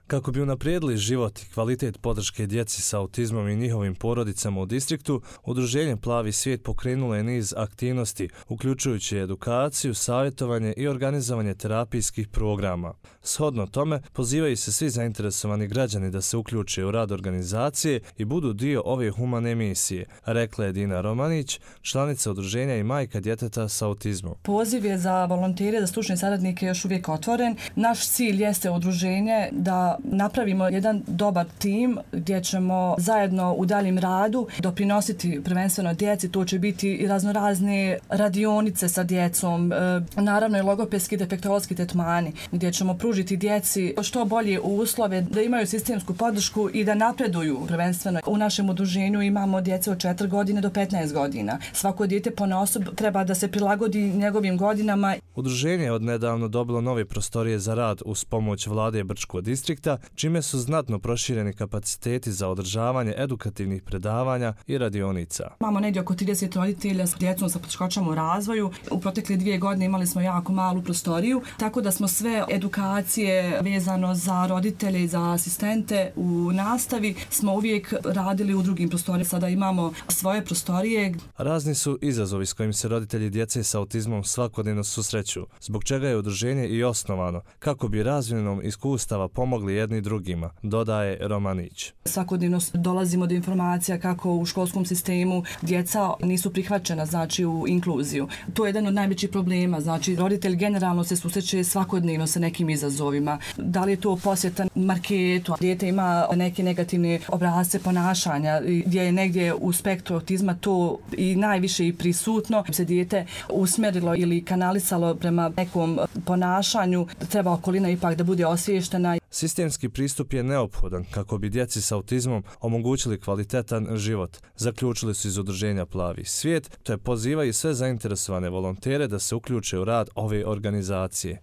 Kako bi unaprijedili život i kvalitet podrške djeci sa autizmom i njihovim porodicama u distriktu, Udruženje Plavi svijet pokrenulo je niz aktivnosti, uključujući edukaciju, savjetovanje i organizovanje terapijskih programa. Shodno tome, pozivaju se svi zainteresovani građani da se uključe u rad organizacije i budu dio ove humane misije, rekla je Dina Romanić, članica udruženja i majka djeteta sa autizmom. Poziv je za volontere, za stručne saradnike još uvijek otvoren. Naš cilj jeste udruženje da napravimo jedan dobar tim gdje ćemo zajedno u daljem radu doprinositi prvenstveno djeci. To će biti i raznorazne radionice sa djecom, naravno i logopedski defektološki tretmani gdje ćemo pružiti djeci što bolje uslove da imaju sistemsku podršku i da napreduju prvenstveno. U našem udruženju imamo djece od 4 godine do 15 godina. Svako dijete ponaosob treba da se prilagodi njegovim godinama. Udruženje je odnedavno dobilo nove prostorije za rad uz pomoć vlade Brčkog distrikta, čime su znatno prošireni kapaciteti za održavanje edukativnih predavanja i radionica. Imamo negdje oko 30 roditelja s djecom sa poteškoćama u razvoju. U protekle 2 godine imali smo jako malu prostoriju, tako da smo sve edukacije vezano za roditelje i za asistente u nastavi smo uvijek radili u drugim prostorijama. Sada imamo svoje prostorije. Razni su izazovi s kojim se roditelji djece sa autizmom svakodnevno susreću, zbog čega je udruženje i osnovano, kako bi razmjenom iskustava pomogli jedni drugima, dodaje Romanić. Svakodnevno dolazimo do informacija kako u školskom sistemu djeca nisu prihvaćena, znači u inkluziju. To je jedan od najvećih problema, znači roditelj generalno se susreće svakodnevno sa nekim izazovima. Da li je to posjeta marketu, dijete ima neke negativne obrasce ponašanja, gdje je negdje u spektru autizma to i najviše i prisutno, se dijete usmjerilo ili kanalisalo prema nekom ponašanju, treba okolina ipak da bude osviještena. Sistemski pristup je neophodan kako bi djeci sa autizmom omogućili kvalitetan život, zaključili su iz udruženja Plavi svijet, te pozivaju sve zainteresovane volontere da se uključe u rad ove organizacije.